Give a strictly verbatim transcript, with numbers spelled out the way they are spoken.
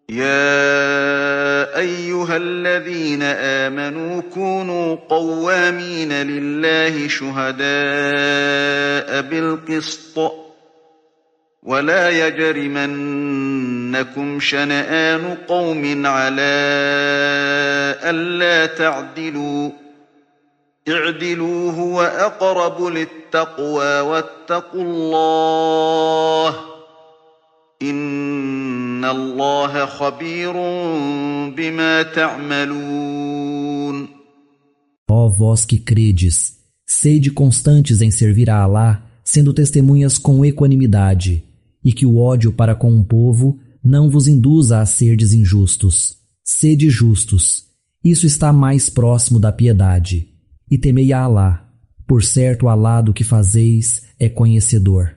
يا أيها الذين آمنوا كونوا قوامين لله شهداء بالقسط ولا يجرمنكم شنآن قوم على ألا تعدلوا اعدلوا هو أقرب للتقوى واتقوا الله إن الله خبير بما تعملون. Ó vós que credes, sede constantes em servir a Alá, sendo testemunhas com equanimidade, e que o ódio para com um povo não vos induza a serdes injustos. Sede justos, isso está mais próximo da piedade. E temei a Alá, por certo Alá do que fazeis é conhecedor.